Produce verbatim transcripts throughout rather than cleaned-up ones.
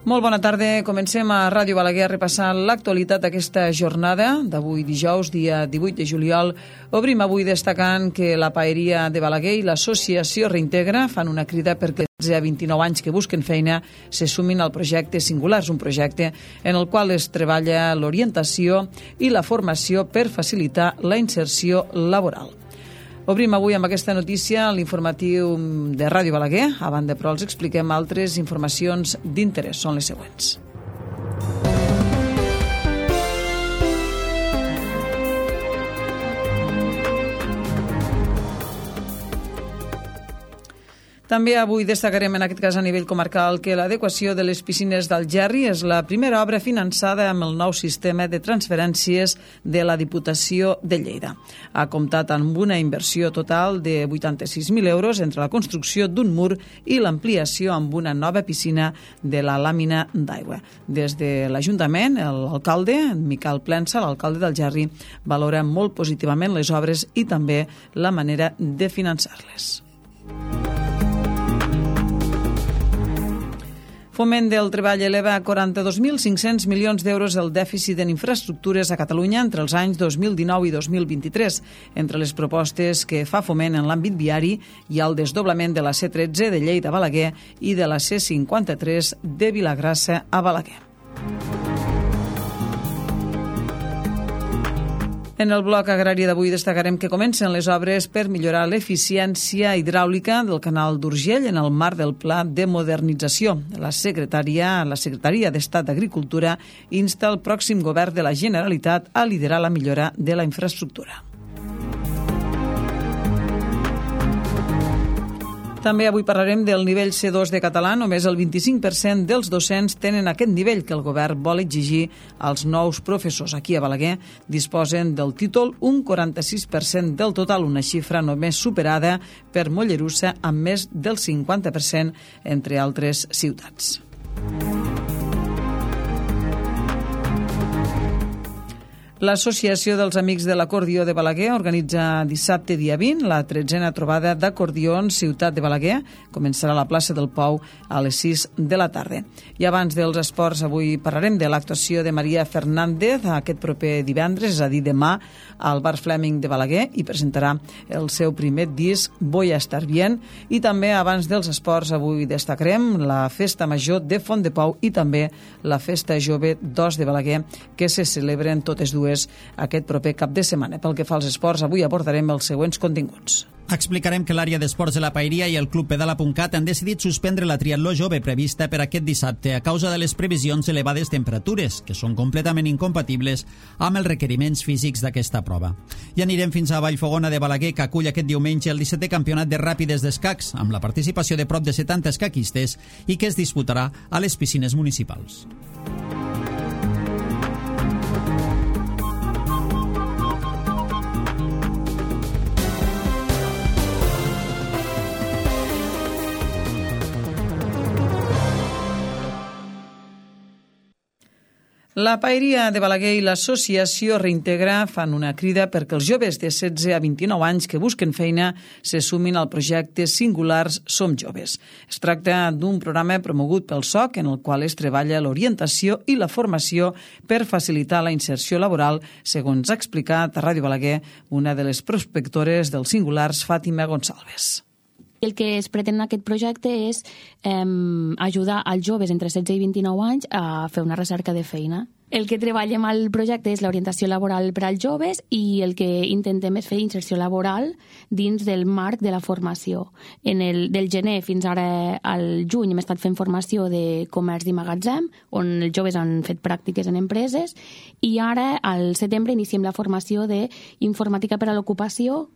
Molt bona tarda. Comencem a Ràdio Balaguer repassant l'actualitat d'aquesta jornada d'avui dijous, dia divuit de juliol. Obrim avui destacant que la Paeria de Balaguer i l'associació Reintegra fan una crida perquè els de vint-i-nou anys que busquen feina se sumin al projecte Singulars, un projecte en el qual es treballa l'orientació i la formació per facilitar la inserció laboral. Obrim avui amb aquesta notícia l'informatiu de Ràdio Balaguer. A banda, però, els expliquem altres informacions d'interès. Són les següents. També avui destacarem en aquest cas a nivell comarcal que l'adequació de les piscines d'Algerri és la primera obra finançada amb el nou sistema de transferències de la Diputació de Lleida. Ha comptat amb una inversió total de vuitanta-sis mil euros entre la construcció d'un mur i l'ampliació amb una nova piscina de la làmina d'aigua. Des de l'Ajuntament, l'alcalde, Miquel Plensa, l'alcalde d'Algerri, valora molt positivament les obres i també la manera de finançar-les. Foment del Treball eleva a quaranta-dos mil cinc-cents milions d'euros el dèficit en infraestructures a Catalunya entre els anys dos mil dinou i dos mil vint-i-tres. Entre les propostes que fa Foment en l'àmbit viari hi ha el desdoblament de la C tretze de Lleida a Balaguer i de la C cinquanta-tres de Vilagrassa a Balaguer. En el bloc agrari d'avui destacarem que comencen les obres per millorar l'eficiència hidràulica del canal d'Urgell en el marc del Pla de Modernització. La secretària, la Secretaria d'Estat d'Agricultura insta el pròxim govern de la Generalitat a liderar la millora de la infraestructura. També avui parlarem del nivell C dos de català. Només el vint-i-cinc per cent dels docents tenen aquest nivell que el govern vol exigir als nous professors. Aquí a Balaguer disposen del títol un quaranta-sis per cent del total, una xifra només superada per Mollerussa amb més del cinquanta per cent, entre altres ciutats. L'Associació dels Amics de l'Acordió de Balaguer organitza dissabte dia vint la tretzena trobada d'acordions Ciutat de Balaguer. Començarà a la plaça del Pou a les sis de la tarda. I abans dels esports, avui parlarem de l'actuació de Maria Fernández aquest proper divendres, és a dir, demà, al Bar Fleming de Balaguer, i presentarà el seu primer disc Voy a estar bien. I també abans dels esports, avui destacarem la Festa Major de Font de Pou i també la Festa Jove d'Os de Balaguer, que se celebren totes dues aquest proper cap de setmana. Pel que fa als esports, avui abordarem els següents continguts. Explicarem que l'àrea d'esports de la Paeria i el Club Pedala.cat han decidit suspendre la triatló jove prevista per aquest dissabte a causa de les previsions elevades temperatures, que són completament incompatibles amb els requeriments físics d'aquesta prova. I anirem fins a Vallfogona de Balaguer, que acull aquest diumenge el dissetè campionat de ràpides d'escacs, amb la participació de prop de setanta escaquistes i que es disputarà a les piscines municipals. La Paeria de Balaguer i l'associació Reintegra fan una crida perquè els joves de setze a vint-i-nou anys que busquen feina se sumin al projecte Singulars Som Joves. Es tracta d'un programa promogut pel S O C en el qual es treballa l'orientació i la formació per facilitar la inserció laboral, segons ha explicat a Ràdio Balaguer una de les prospectores dels Singulars, Fàtima Gonçalves. El que es pretén en aquest projecte és eh, ajudar als joves entre setze i vint-i-nou anys a fer una recerca de feina. El que treballem al projecte és l'orientació laboral per als joves i el que intentem és fer inserció laboral dins del marc de la formació. En el, del gener fins ara al juny hem estat fent formació de comerç i magatzem, on els joves han fet pràctiques en empreses, i ara al setembre iniciem la formació d'informàtica per a l'ocupació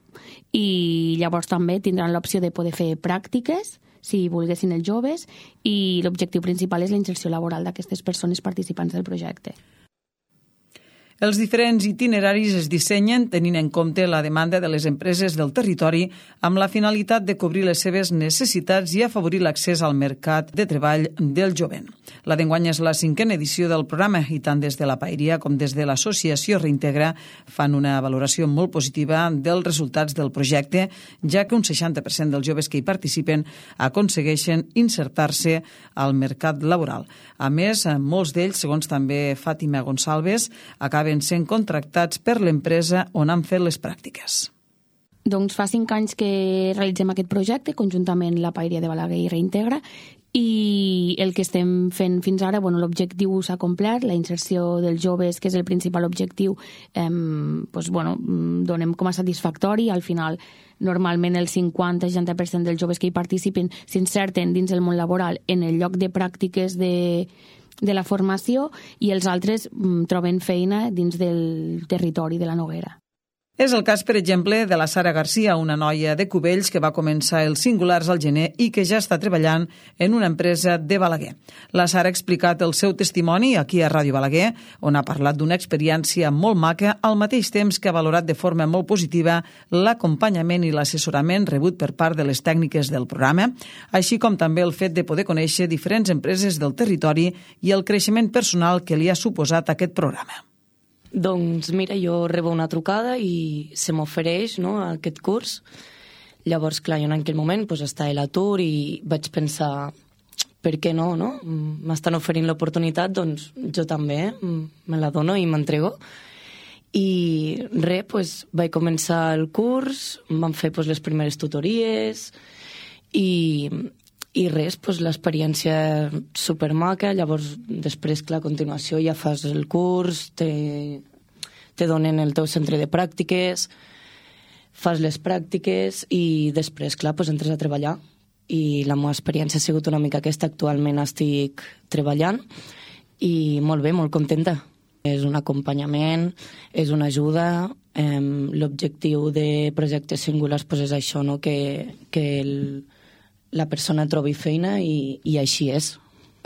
i llavors també tindran l'opció de poder fer pràctiques si volguessin els joves, i l'objectiu principal és la inserció laboral d'aquestes persones participants del projecte. Els diferents itineraris es dissenyen tenint en compte la demanda de les empreses del territori amb la finalitat de cobrir les seves necessitats i afavorir l'accés al mercat de treball del jovent. La d'enguany és la cinquena edició del programa i tant des de la Paeria com des de l'associació Reintegra fan una valoració molt positiva dels resultats del projecte, ja que un seixanta per cent dels joves que hi participen aconsegueixen insertar-se al mercat laboral. A més, molts d'ells, segons també Fàtima Gonçalves, acaben sent contractats per l'empresa on han fet les pràctiques. Doncs fa cinc anys que realitzem aquest projecte, conjuntament la Paeria de Balaguer i Reintegra, i el que estem fent fins ara, bueno, l'objectiu s'ha complert, la inserció dels joves, que és el principal objectiu, eh, doncs, bueno, donem com a satisfactori. Al final, normalment el cinquanta a seixanta per cent dels joves que hi participen s'inserten dins el món laboral en el lloc de pràctiques de de la formació i els altres mm, troben feina dins del territori de la Noguera. És el cas, per exemple, de la Sara Garcia, una noia de Cubells que va començar els singulars al gener i que ja està treballant en una empresa de Balaguer. La Sara ha explicat el seu testimoni aquí a Ràdio Balaguer, on ha parlat d'una experiència molt maca, al mateix temps que ha valorat de forma molt positiva l'acompanyament i l'assessorament rebut per part de les tècniques del programa, així com també el fet de poder conèixer diferents empreses del territori i el creixement personal que li ha suposat aquest programa. Doncs mira, jo rebo una trucada i se m'ofereix, no, aquest curs. Llavors, clar, jo en aquell moment pues, estava a l'atur i vaig pensar, per què no, no? M'estan oferint l'oportunitat, doncs jo també me la dono i m'entrego. I res, pues, vaig començar el curs, vam fer pues, les primeres tutories i... I res, doncs, l'experiència supermaca, llavors després, clar, a continuació ja fas el curs, te, te donen el teu centre de pràctiques, fas les pràctiques i després, clar, doncs, entres a treballar. I la meva experiència ha sigut una mica aquesta, actualment estic treballant i molt bé, molt contenta. És un acompanyament, és una ajuda, eh, l'objectiu de projectes singulars doncs, és això, no? que, que el la persona trobi feina i, i així és.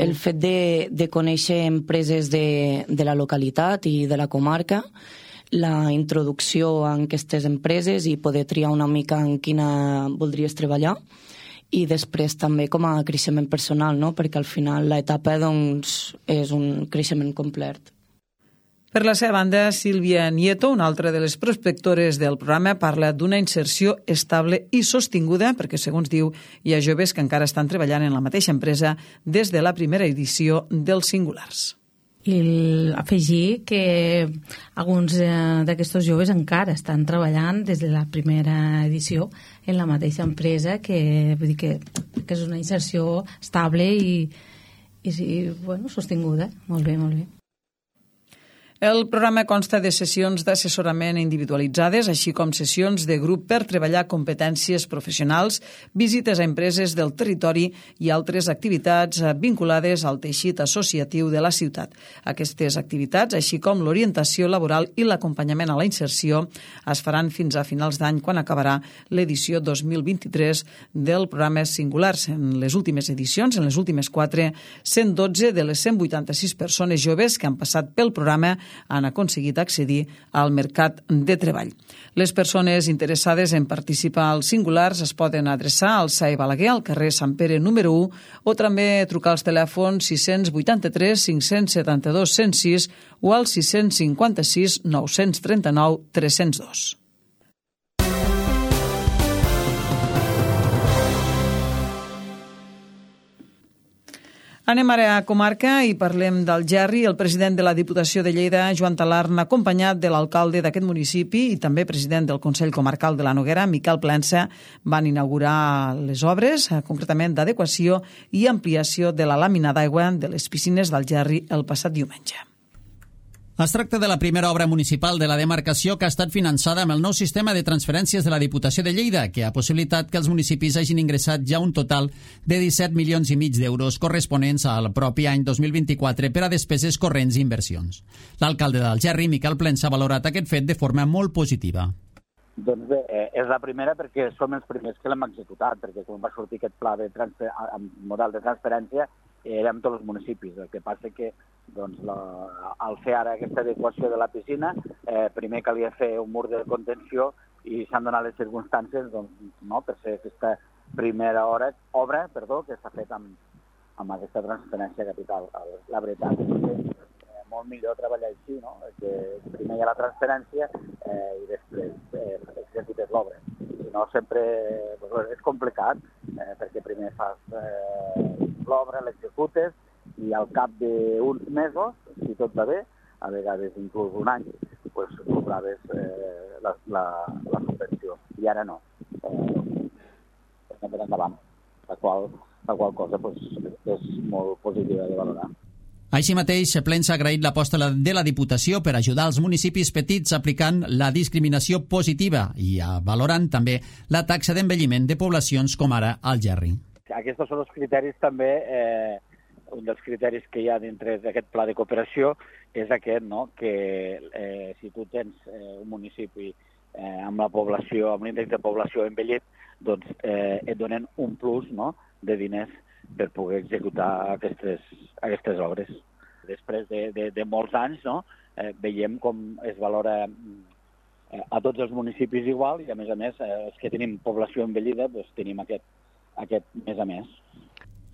El fet de, de conèixer empreses de, de la localitat i de la comarca, la introducció en aquestes empreses i poder triar una mica en quina voldries treballar i després també com a creixement personal, no? Perquè al final l'etapa doncs, és un creixement complet. Per la seva banda, Sílvia Nieto, una altra de les prospectores del programa, parla d'una inserció estable i sostinguda, perquè, segons diu, hi ha joves que encara estan treballant en la mateixa empresa des de la primera edició dels singulars. I afegir que alguns d'aquests joves encara estan treballant des de la primera edició en la mateixa empresa, que vull dir que, que és una inserció estable i, i bueno, sostinguda. Molt bé, molt bé. El programa consta de sessions d'assessorament individualitzades, així com sessions de grup per treballar competències professionals, visites a empreses del territori i altres activitats vinculades al teixit associatiu de la ciutat. Aquestes activitats, així com l'orientació laboral i l'acompanyament a la inserció, es faran fins a finals d'any, quan acabarà l'edició dos mil vint-i-tres del programa Singulars. En les últimes edicions, en les últimes quatre, cent dotze de les cent vuitanta-sis persones joves que han passat pel programa han aconseguit accedir al mercat de treball. Les persones interessades en participar als singulars es poden adreçar al S A E Balaguer, al carrer Sant Pere número u, o també trucar als telèfons sis cents vuitanta-tres cinc-cents setanta-dos cent sis o al sis cents cinquanta-sis nou-cents trenta-nou tres-cents dos. Anem ara a comarca i parlem del Gerri. El president de la Diputació de Lleida, Joan Talarn, acompanyat de l'alcalde d'aquest municipi i també president del Consell Comarcal de la Noguera, Miquel Plensa, van inaugurar les obres, concretament d'adequació i ampliació de la làmina d'aigua de les piscines del Gerri el passat diumenge. Es tracta de la primera obra municipal de la demarcació que ha estat finançada amb el nou sistema de transferències de la Diputació de Lleida, que ha possibilitat que els municipis hagin ingressat ja un total de disset milions i mig d'euros corresponents al propi any dos mil vint-i-quatre per a despeses corrents i inversions. L'alcalde d'Algerri, Miquel Plensa, ha valorat aquest fet de forma molt positiva. Doncs bé, és la primera perquè som els primers que l'hem executat, perquè quan va sortir aquest pla de transfer... model de transferència, érem tots els municipis. El que passa que doncs, la, al fer ara aquesta adequació de la piscina, eh, primer calia fer un mur de contenció i s'han donat les circumstàncies doncs, no, per ser aquesta primera hora, obra perdó, que s'ha fet amb, amb aquesta transferència capital. La veritat és que és molt millor treballar així, no? Que primer hi ha la transferència eh, i després eh, executes l'obra. Si no, sempre doncs, és complicat, eh, perquè primer fas eh, l'obra, l'executes, i al cap d'uns mesos, si tot va bé, a vegades inclús un any, pues, cobraves eh, la, la, la subvenció. I ara no. Eh, per endavant, la qual, la qual cosa pues, és molt positiva de valorar. Així mateix, Plens ha agraït l'aposta de la Diputació per ajudar els municipis petits aplicant la discriminació positiva i valorant també la taxa d'envelliment de poblacions com ara Algerri. Aquests són els criteris també, eh, un dels criteris que hi ha dintre d'aquest pla de cooperació és aquest, no? Que eh, si tu tens eh, un municipi eh, amb la població, amb l'índex de població envellit, doncs eh, et donen un plus, no?, de diners per poder executar aquestes, aquestes obres. Després de, de, de molts anys, no?, eh, veiem com es valora eh, a tots els municipis igual i, a més a més, eh, els que tenim població envellida, doncs tenim aquest, aquest més a més.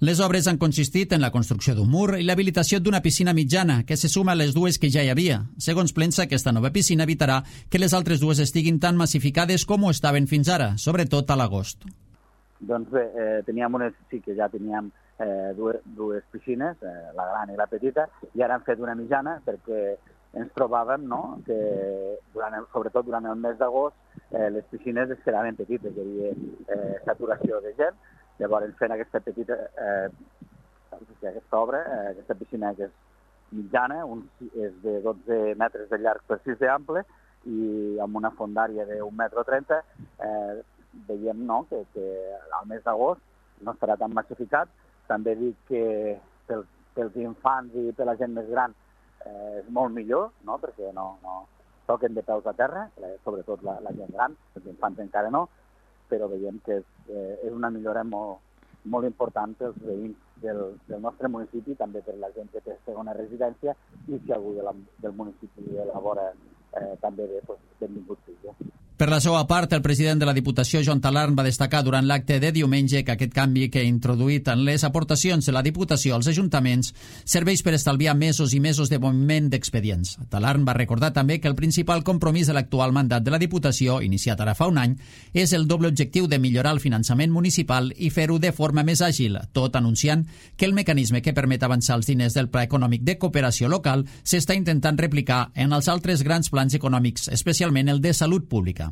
Les obres han consistit en la construcció d'un mur i l'habilitació d'una piscina mitjana, que se suma a les dues que ja hi havia. Segons Plensa, aquesta nova piscina evitarà que les altres dues estiguin tan massificades com ho estaven fins ara, sobretot a l'agost. Doncs bé, eh, teníem unes, sí que ja teníem eh, dues, dues piscines, eh, la gran i la petita, i ara hem fet una mitjana perquè ens trobàvem, no?, que durant el, sobretot durant el mes d'agost eh, les piscines es quedaven petites, hi havia eh, saturació de gent. Llavors, fent aquesta petita, eh, aquesta obra, eh, aquesta piscina que és mitjana, un, és de dotze metres de llarg per sis d'ample i amb una fondària d'un metre trenta, eh, veiem, no?, que, que al mes d'agost no estarà tan massificat. També dic que pels, pels infants i per la gent més gran eh, és molt millor, no?, perquè no, no toquen de peus a terra, sobretot la, la gent gran, els infants encara no, però veiem que és, eh, és una millora molt, molt important pels veïns del, del nostre municipi, també per la gent que té segona residència, i si algú de la, del municipi de la vora eh, també ve, doncs, benvingut sigui. Per la seva part, el president de la Diputació, Joan Talarn, va destacar durant l'acte de diumenge que aquest canvi que ha introduït en les aportacions de la Diputació als ajuntaments serveix per estalviar mesos i mesos de moviment d'expedients. Talarn va recordar també que el principal compromís de l'actual mandat de la Diputació, iniciat ara fa un any, és el doble objectiu de millorar el finançament municipal i fer-ho de forma més àgil, tot anunciant que el mecanisme que permet avançar els diners del Pla Econòmic de Cooperació Local s'està intentant replicar en els altres grans plans econòmics, especialment el de salut pública.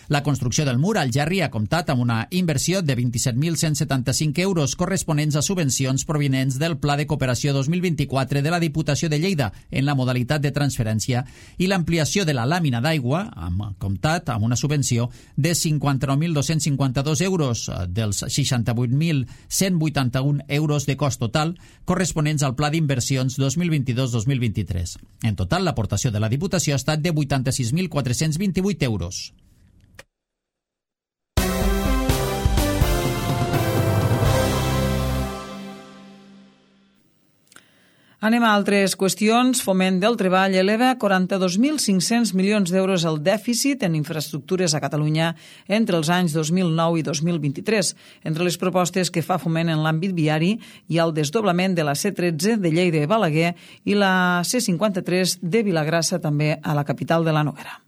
La construcció del mur al Algerri ha comptat amb una inversió de vint-i-set mil cent setanta-cinc euros corresponents a subvencions provinents del Pla de Cooperació dos mil vint-i-quatre de la Diputació de Lleida en la modalitat de transferència i l'ampliació de la làmina d'aigua ha comptat amb una subvenció de cinquanta-nou mil dos-cents cinquanta-dos euros dels seixanta-vuit mil cent vuitanta-un euros de cost total corresponents al Pla d'Inversions dos mil vint-i-dos dos mil vint-i-tres. En total, l'aportació de la Diputació ha estat de vuitanta-sis mil quatre-cents vint-i-vuit euros. Anem a altres qüestions. Foment del Treball eleva quaranta-dos mil cinc-cents milions d'euros el dèficit en infraestructures a Catalunya entre els anys dos mil nou i dos mil vint-i-tres. Entre les propostes que fa Foment en l'àmbit viari hi ha el desdoblament de la C tretze de Lleida i Balaguer i la C cinquanta-tres de Vilagrassa, també a la capital de la Noguera.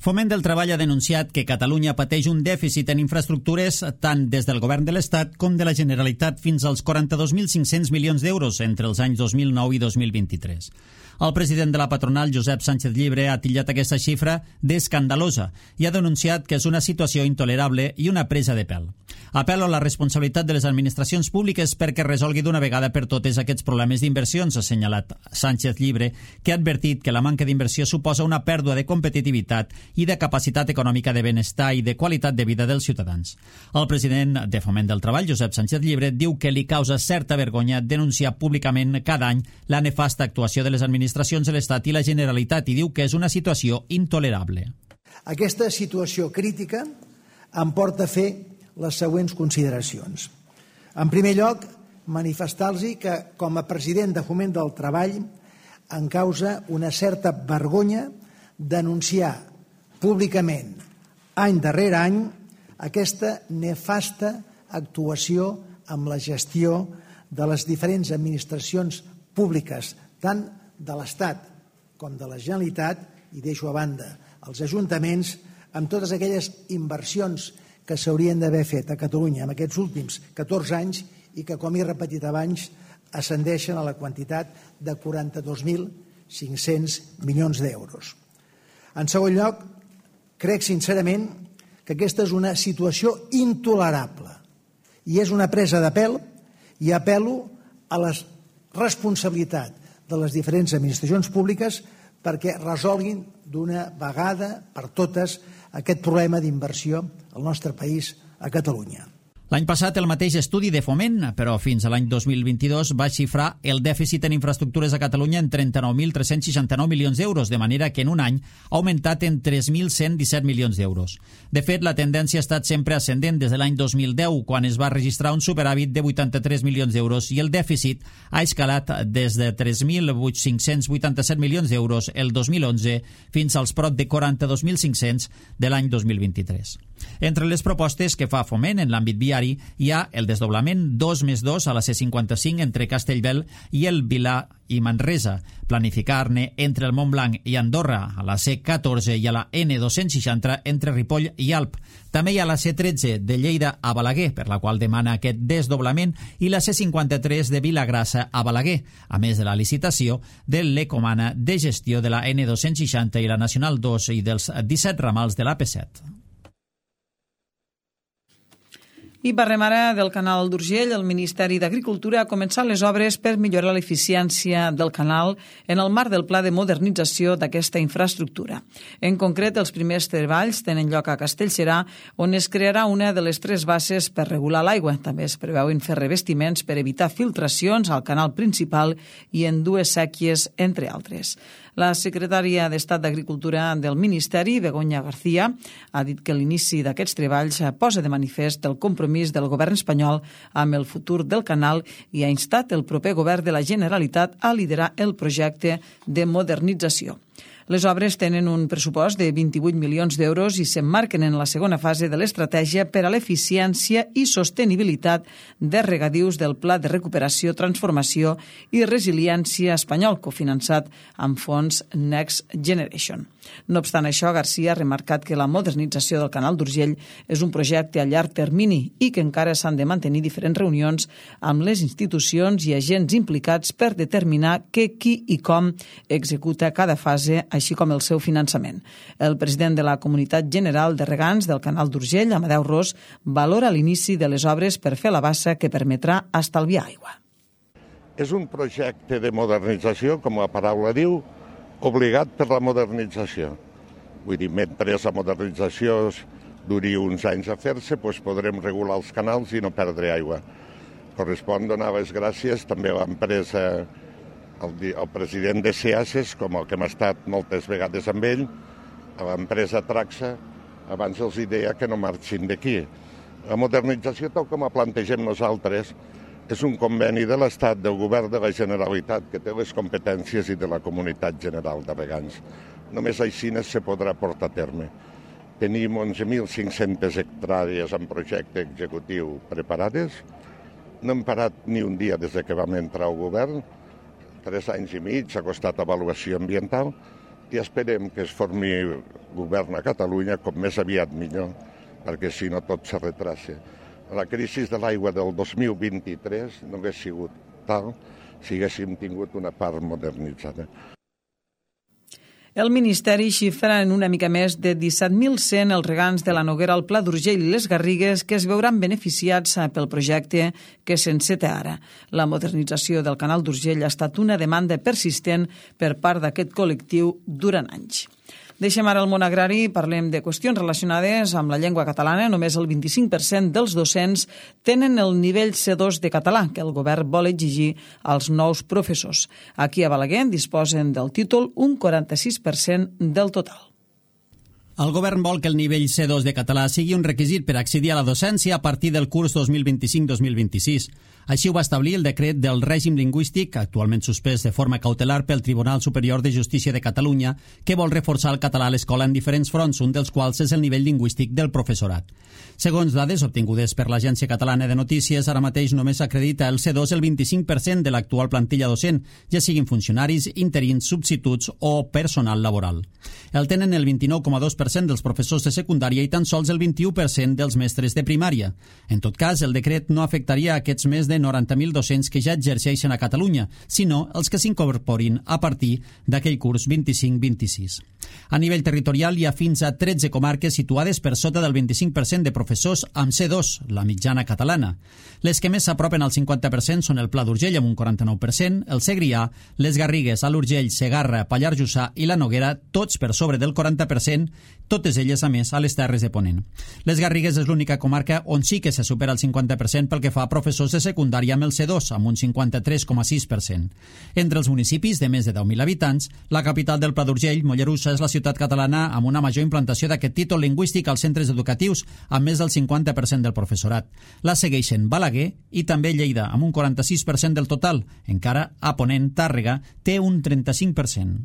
Foment del Treball ha denunciat que Catalunya pateix un dèficit en infraestructures tant des del govern de l'Estat com de la Generalitat fins als quaranta-dos mil cinc-cents milions d'euros entre els anys dos mil nou i dos mil vint-i-tres. El president de la patronal, Josep Sánchez Llibre, ha titllat aquesta xifra d'escandalosa i ha denunciat que és una situació intolerable i una presa de pèl. Apel·lo a la responsabilitat de les administracions públiques perquè resolgui d'una vegada per totes aquests problemes d'inversions, ha assenyalat Sánchez Llibre, que ha advertit que la manca d'inversió suposa una pèrdua de competitivitat i de capacitat econòmica de benestar i de qualitat de vida dels ciutadans. El president de Foment del Treball, Josep Sánchez Llibre, diu que li causa certa vergonya denunciar públicament cada any la nefasta actuació de les administracions de l'Estat i la Generalitat i diu que és una situació intolerable. Aquesta situació crítica em porta a fer les següents consideracions. En primer lloc, manifestar-los que, com a president de Foment del Treball, em causa una certa vergonya denunciar públicament, any darrere any, aquesta nefasta actuació amb la gestió de les diferents administracions públiques, tant de l'Estat com de la Generalitat, i deixo a banda els ajuntaments, amb totes aquelles inversions que s'haurien d'haver fet a Catalunya en aquests últims catorze anys i que, com he repetit abans, ascendeixen a la quantitat de quaranta-dos mil cinc-cents milions d'euros. En segon lloc, crec sincerament que aquesta és una situació intolerable i és una presa de pèl, i apel·lo a la responsabilitat de les diferents administracions públiques perquè resolguin d'una vegada per totes aquest problema d'inversió al nostre país, a Catalunya. L'any passat el mateix estudi de Foment, però fins a l'any dos mil vint-i-dos va xifrar el dèficit en infraestructures a Catalunya en trenta-nou mil tres-cents seixanta-nou milions d'euros, de manera que en un any ha augmentat en tres mil cent disset milions d'euros. De fet, la tendència ha estat sempre ascendent des de l'any dos mil deu, quan es va registrar un superàvit de vuitanta-tres milions d'euros, i el dèficit ha escalat des de tres mil cinc-cents vuitanta-set milions d'euros el dos mil onze fins als prop de quaranta-dos mil cinc-cents de l'any dos mil vint-i-tres. Entre les propostes que fa Foment en l'àmbit viari hi ha el desdoblament dos més dos a la C cinquanta-cinc entre Castellbel i el Vilar i Manresa, planificar-ne entre el Montblanc i Andorra a la C catorze i a la N dos-cents seixanta entre Ripoll i Alp. També hi ha la C tretze de Lleida a Balaguer, per la qual demana aquest desdoblament, i la C cinquanta-tres de Vilagrassa a Balaguer, a més de la licitació de l'Ecomana de gestió de la N dos-cents seixanta i la Nacional dos i dels disset ramals de l'A P set. I parlem ara del canal d'Urgell. El Ministeri d'Agricultura ha començat les obres per millorar l'eficiència del canal en el marc del pla de modernització d'aquesta infraestructura. En concret, els primers treballs tenen lloc a Castellserà, on es crearà una de les tres basses per regular l'aigua. També es preveuen fer revestiments per evitar filtracions al canal principal i en dues sèquies, entre altres. La secretària d'Estat d'Agricultura del Ministeri, Begoña García, ha dit que l'inici d'aquests treballs posa de manifest el compromís del govern espanyol amb el futur del canal i ha instat el proper govern de la Generalitat a liderar el projecte de modernització. Les obres tenen un pressupost de vint-i-vuit milions d'euros i s'emmarquen en la segona fase de l'estratègia per a l'eficiència i sostenibilitat de regadius del Pla de Recuperació, Transformació i Resiliència espanyol, cofinançat amb fons Next Generation. No obstant això, García ha remarcat que la modernització del canal d'Urgell és un projecte a llarg termini i que encara s'han de mantenir diferents reunions amb les institucions i agents implicats per determinar què, qui i com executa cada fase, així com el seu finançament. El president de la Comunitat General de Regants del canal d'Urgell, Amadeu Ros, valora l'inici de les obres per fer la bassa que permetrà estalviar aigua. És un projecte de modernització, com la paraula diu, obligat per la modernització. Vull dir, mentre la modernització duri uns anys a fer-se, doncs podrem regular els canals i no perdre aigua. Correspon donar les gràcies també a l'empresa, al, al president de SEASES, com el que hem estat moltes vegades amb ell, a l'empresa Traxa, abans els deia que no marxin d'aquí. La modernització, tal com la plantegem nosaltres, és un conveni de l'Estat, del govern de la Generalitat, que té les competències, i de la Comunitat General de Regants. Només així se podrà portar a terme. Tenim onze mil cinc-centes hectàrees en projecte executiu preparades. No hem parat ni un dia des que vam entrar al govern. Tres anys i mig, ha costat avaluació ambiental, i esperem que es formi govern a Catalunya com més aviat millor, perquè si no tot se retrassa. La crisi de l'aigua del dos mil vint-i-tres no hauria sigut tal si haguéssim tingut una part modernitzada. El Ministeri xifra en una mica més de disset mil cent els regants de la Noguera, el Pla d'Urgell i les Garrigues que es veuran beneficiats pel projecte que s'enceta ara. La modernització del canal d'Urgell ha estat una demanda persistent per part d'aquest col·lectiu durant anys. Deixem ara el món agrari i parlem de qüestions relacionades amb la llengua catalana. Només el vint-i-cinc per cent dels docents tenen el nivell C dos de català, que el govern vol exigir als nous professors. Aquí a Balaguer disposen del títol un quaranta-sis per cent del total. El govern vol que el nivell C dos de català sigui un requisit per accedir a la docència a partir del curs dos mil vint-i-cinc dos mil vint-i-sis. Així ho va establir el decret del règim lingüístic, actualment suspès de forma cautelar pel Tribunal Superior de Justícia de Catalunya, que vol reforçar el català a l'escola en diferents fronts, un dels quals és el nivell lingüístic del professorat. Segons dades obtingudes per l'Agència Catalana de Notícies, ara mateix només acredita el C dos el vint-i-cinc per cent de l'actual plantilla docent, ja siguin funcionaris, interins, substituts o personal laboral. El tenen el vint-i-nou coma dos per cent dels professors de secundària i tan sols el vint-i-u per cent dels mestres de primària. En tot cas, el decret no afectaria a aquests més de noranta mil docents que ja exerceixen a Catalunya, sinó els que s'incorporin a partir d'aquell curs vint-i-cinc vint-i-sis. A nivell territorial hi ha fins a tretze comarques situades per sota del vint-i-cinc per cent de professors amb C dos, la mitjana catalana. Les que més s'apropen al cinquanta per cent són el Pla d'Urgell amb un quaranta-nou per cent, el Segrià, les Garrigues, Alt Urgell, Segarra, Pallars Jussà i la Noguera, tots per sobre del quaranta per cent, totes elles, a més, a les Terres de Ponent. Les Garrigues és l'única comarca on sí que se supera el cinquanta per cent pel que fa a professors de secundària amb el C dos, amb un cinquanta-tres coma sis per cent. Entre els municipis de més de deu mil habitants, la capital del Pla d'Urgell, Mollerussa, és la ciutat catalana amb una major implantació d'aquest títol lingüístic als centres educatius, amb més del cinquanta per cent del professorat. La segueixen Balaguer i també Lleida, amb un quaranta-sis per cent del total. Encara a Ponent, Tàrrega té un trenta-cinc per cent.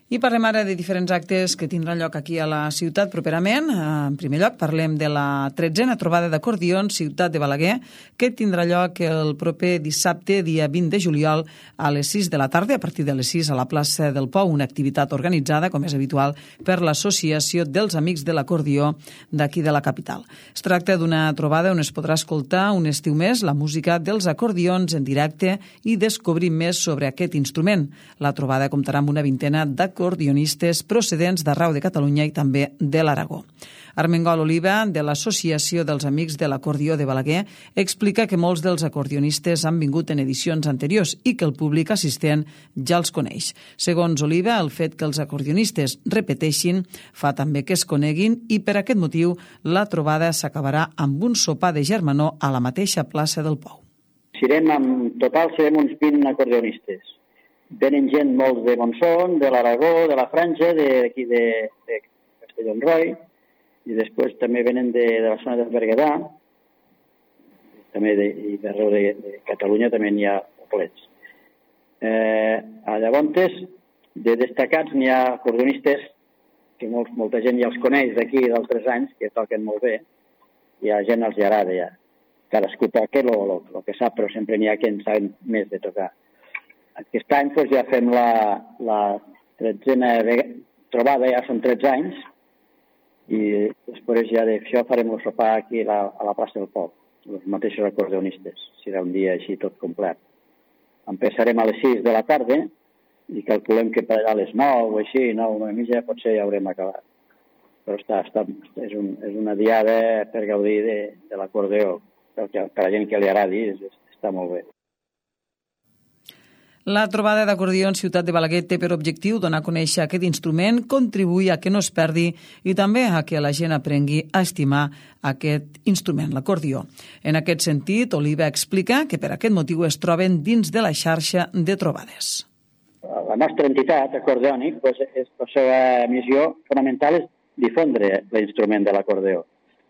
I parlem ara de diferents actes que tindran lloc aquí a la ciutat properament. En primer lloc, parlem de la tretzena trobada d'acordions Ciutat de Balaguer, que tindrà lloc el proper dissabte, dia vint de juliol, a les sis de la tarda, a partir de les sis a la plaça del Pou, una activitat organitzada, com és habitual, per l'Associació dels Amics de l'Acordió d'aquí de la capital. Es tracta d'una trobada on es podrà escoltar un estiu més la música dels acordions en directe i descobrir més sobre aquest instrument. La trobada comptarà amb una vintena d'acordionistes acordionistes procedents d'arreu de Catalunya i també de l'Aragó. Armengol Oliva, de l'Associació dels Amics de l'Acordió de Balaguer, explica que molts dels acordionistes han vingut en edicions anteriors i que el públic assistent ja els coneix. Segons Oliva, el fet que els acordionistes repeteixin fa també que es coneguin i per aquest motiu la trobada s'acabarà amb un sopar de germanor a la mateixa plaça del Pou. Serem, en total serem uns vint acordionistes. Venen gent molts de Montsón, de l'Aragó, de la Franja, d'aquí de, de Castellonroi, i després també venen de, de la zona del Berguedà, també de, i d'arreu de, de Catalunya també n'hi ha poblets. Eh, llavors, de destacats n'hi ha acordionistes que molt, molta gent ja els coneix d'aquí d'altres anys, que toquen molt bé, i a la gent els hi agrada ja. Cadascú toca el, el, el que sap, però sempre n'hi ha que en saben més de tocar. Aquest any doncs, ja fem la, la tretzena trobada, ja són tretze anys, i després ja d'això farem el sopar aquí a la, a la plaça del Pou, els mateixos acordionistes. Serà un dia així tot complet. Empezarem a les sis de la tarda i calculem que per allà a les nou o així, nou, nou i mitja, potser ja haurem acabat. Però està, està, és, un, és una diada per gaudir de, de l'acordeó, perquè per a la gent que li agradi està molt bé. La trobada d'acordions Ciutat de Balaguer té per objectiu donar a conèixer aquest instrument, contribuir a que no es perdi i també a que la gent aprengui a estimar aquest instrument, l'acordió. En aquest sentit, Oliva explica que per aquest motiu es troben dins de la xarxa de trobades. La nostra entitat, Acordeònic, doncs, és, la seva missió fonamental és difondre l'instrument de l'acordeó.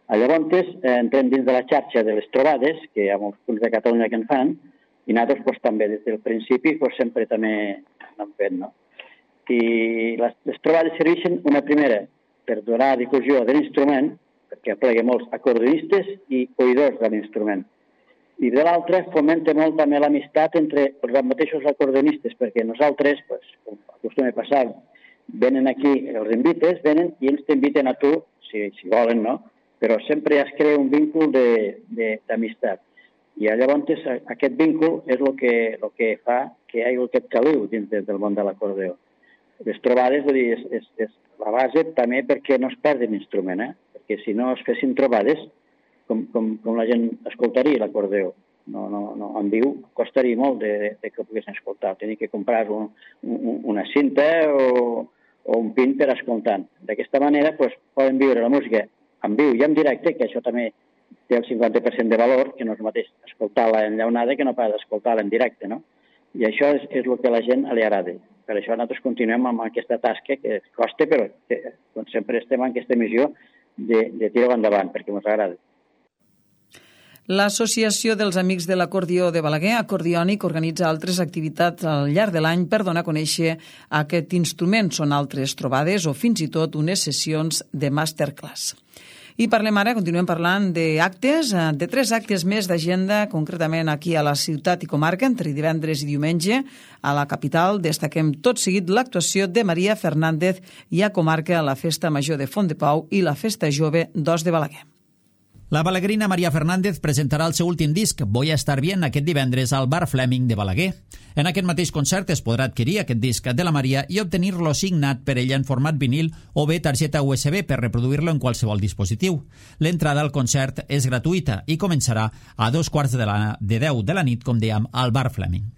Llavors, entrem dins de la xarxa de les trobades, que hi ha molts punts de Catalunya que en fan, i nosaltres pues, també des del principi pues, sempre també n'hem fet. No? I les, les trobades serveixen una primera per donar difusió de l'instrument, perquè aplega molts acordionistes i oïdors de l'instrument. I de l'altra fomenta molt també l'amistat entre els mateixos acordionistes, perquè nosaltres, pues, com acostuma a passar, venen aquí, els invites, venen i ells t'inviten a tu, si, si volen, no? Però sempre es crea un vincul d'amistat. I llavors aquest vincul és el que, el que fa que hi hagi aquest caliu dins del món de l'acordeó. Les trobades, vull dir, és, és, és la base també perquè no es perdi l'instrument, eh? Perquè si no es fessin trobades, com, com, com la gent escoltaria l'acordeó. No, no, no, en viu costaria molt de, de, de que ho poguessin escoltar. Tenir que comprar un, un, una cinta o, o un pin per escoltar. D'aquesta manera pues, poden viure la música en viu i en directe, que això també té el cinquanta per cent de valor, que no és el mateix escoltar-la enllaunada que no pas escoltar-la en directe, no? I això és, és el que a la gent li agrada. per això nosaltres continuem amb aquesta tasca que costa, però que, doncs, sempre estem en aquesta missió de, de tirar endavant, perquè ens agrada. L'Associació dels Amics de l'Acordió de Balaguer, Acordiònic, organitza altres activitats al llarg de l'any per donar a conèixer aquest instrument. Són altres trobades o fins i tot unes sessions de masterclass. I parlem ara, continuem parlant d'actes, de tres actes més d'agenda, concretament aquí a la ciutat i comarca, entre divendres i diumenge. A la capital destaquem tot seguit l'actuació de Maria Fernández i a comarca a la Festa Major de Font de Pau i la Festa Jove d'Os de Balaguer. La balaguerina Maria Fernández presentarà el seu últim disc, Voy a estar bien, aquest divendres al Bar Fleming de Balaguer. En aquest mateix concert es podrà adquirir aquest disc de la Maria i obtenir-lo signat per ella en format vinil o bé targeta U S B per reproduir-lo en qualsevol dispositiu. L'entrada al concert és gratuïta i començarà a dos quarts de, la, de deu de la nit, com dèiem, al Bar Fleming.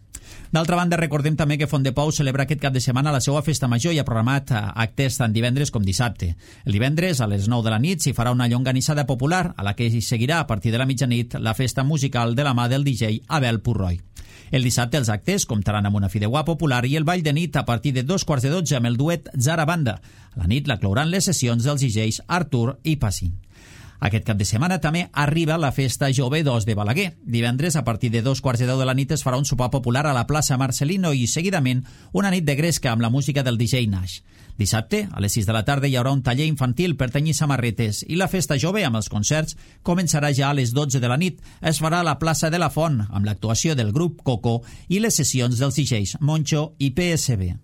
D'altra banda, recordem també que Font de Pau celebra aquest cap de setmana la seva festa major i ha programat actes tant divendres com dissabte. El divendres, a les nou de la nit, s'hi farà una llonganissada popular, a la que hi seguirà a partir de la mitjanit la festa musical de la mà del D J Abel Purroy. El dissabte els actes comptaran amb una fideuà popular i el ball de nit a partir de dos quarts de dotze amb el duet Zara Banda. A la nit la clouran les sessions dels D Js Artur i Passi. Aquest cap de setmana també arriba la Festa Jove d'Os de Balaguer. Divendres, a partir de dos quarts de deu de la nit, es farà un sopar popular a la plaça Marcelino i, seguidament, una nit de gresca amb la música del D J Nash. Dissabte, a les sis de la tarda, hi haurà un taller infantil per tenyir samarretes i la Festa Jove, amb els concerts, començarà ja a les dotze de la nit. Es farà a la plaça de la Font, amb l'actuació del grup Coco i les sessions dels D Js Moncho i P S B.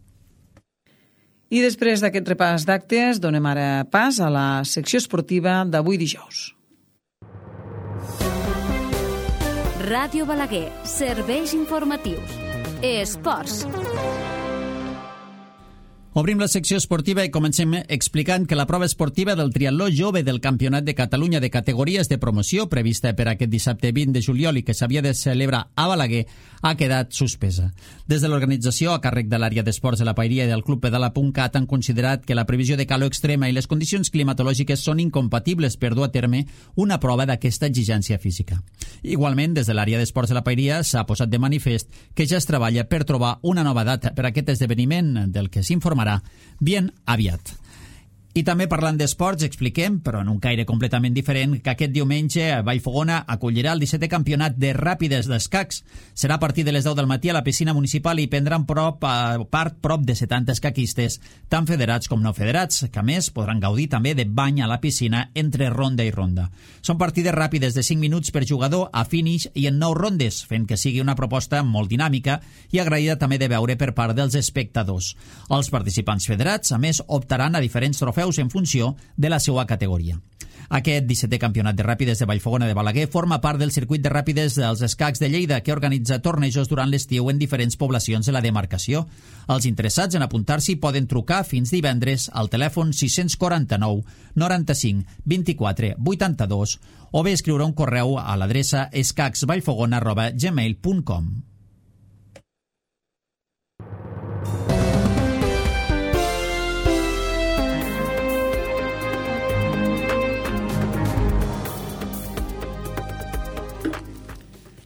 I després d'aquest repàs d'actes, donem ara pas a la secció esportiva d'avui dijous. Ràdio Balaguer, serveis informatius. Esports. Obrim la secció esportiva i comencem explicant que la prova esportiva del triatló jove del Campionat de Catalunya de categories de promoció prevista per aquest dissabte vint de juliol i que s'havia de celebrar a Balaguer ha quedat suspesa. Des de l'organització, a càrrec de l'àrea d'esports de la Pairia i del Club Pedala.cat, han considerat que la previsió de calor extrema i les condicions climatològiques són incompatibles per dur a terme una prova d'aquesta exigència física. Igualment, des de l'àrea d'esports de la Pairia s'ha posat de manifest que ja es treballa per trobar una nova data per a aquest esdeveniment del que s'informarà bien aviat. I també parlant d'esports, expliquem, però en un caire completament diferent, que aquest diumenge Vallfogona acollirà el dissetè campionat de ràpides d'escacs. Serà a partir de les deu del matí a la piscina municipal i prendran prop, a part prop de setanta escaquistes, tant federats com no federats, que a més podran gaudir també de bany a la piscina entre ronda i ronda. Són partides ràpides de cinc minuts per jugador a finish i en nou rondes, fent que sigui una proposta molt dinàmica i agraïda també de veure per part dels espectadors. Els participants federats, a més, optaran a diferents trofeus en funció de la seva categoria. Aquest dissetè campionat de ràpides de Vallfogona de Balaguer forma part del circuit de ràpides dels escacs de Lleida, que organitza tornejos durant l'estiu en diferents poblacions de la demarcació. Els interessats en apuntar-s'hi poden trucar fins divendres al telèfon sis quatre nou noranta-cinc vint-i-quatre vuitanta-dos o bé escriure un correu a l'adreça escacsvallfogona arroba gmail punt com.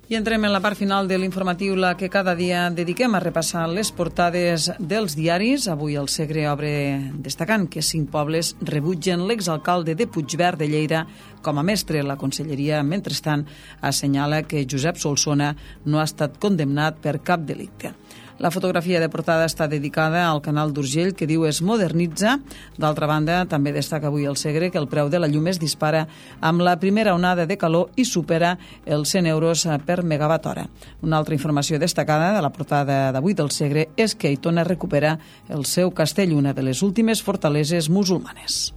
I entrem en la part final de l'informatiu, la que cada dia dediquem a repassar les portades dels diaris. Avui el Segre obre destacant que cinc pobles rebutgen l'exalcalde de Puigverd de Lleida com a mestre. La Conselleria, mentrestant, assenyala que Josep Solsona no ha estat condemnat per cap delicte. La fotografia de portada està dedicada al canal d'Urgell, que diu es modernitza. D'altra banda, també destaca avui el Segre que el preu de la llum es dispara amb la primera onada de calor i supera els cent euros per megawatt hora. Una altra informació destacada de la portada d'avui del Segre és que Aitona recupera el seu castell, una de les últimes fortaleses musulmanes.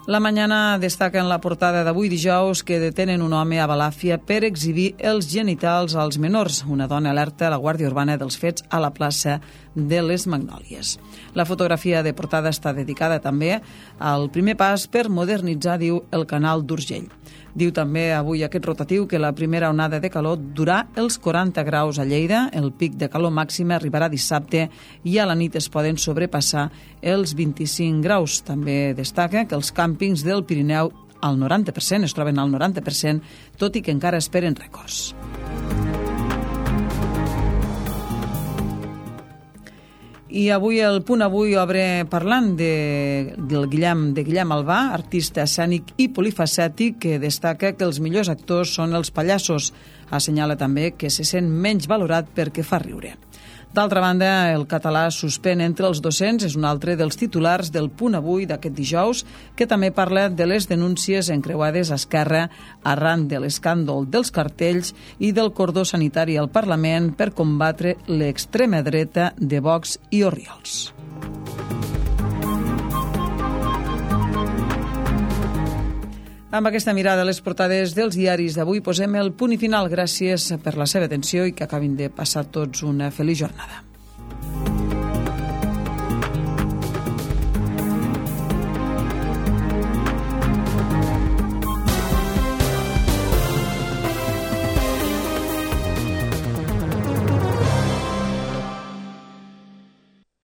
La Mañana destaca en la portada d'avui dijous que detenen un home a Balàfia per exhibir els genitals als menors. Una dona alerta a la Guàrdia Urbana dels fets a la plaça de les Magnòlies. La fotografia de portada està dedicada també al primer pas per modernitzar, diu, el canal d'Urgell. Diu també avui aquest rotatiu que la primera onada de calor durà els quaranta graus a Lleida, el pic de calor màxima arribarà dissabte i a la nit es poden sobrepassar els vint-i-cinc graus. També destaca que els càmpings del Pirineu al noranta per cent es troben al noranta per cent, tot i que encara esperen rècords. I avui el Punt Avui obre parlant de, del Guillem, de Guillem Albà, artista escènic i polifacètic, que destaca que els millors actors són els pallassos. Assenyala també que se sent menys valorat perquè fa riure. D'altra banda, el català suspèn entre els docents és un altre dels titulars del Punt Avui d'aquest dijous, que també parla de les denúncies encreuades a Esquerra arran de l'escàndol dels cartells i del cordó sanitari al Parlament per combatre l'extrema dreta de Vox i Orriols. Amb aquesta mirada a les portades dels diaris d'avui posem el punt i final. Gràcies per la seva atenció i que acabin de passar tots una feliç jornada.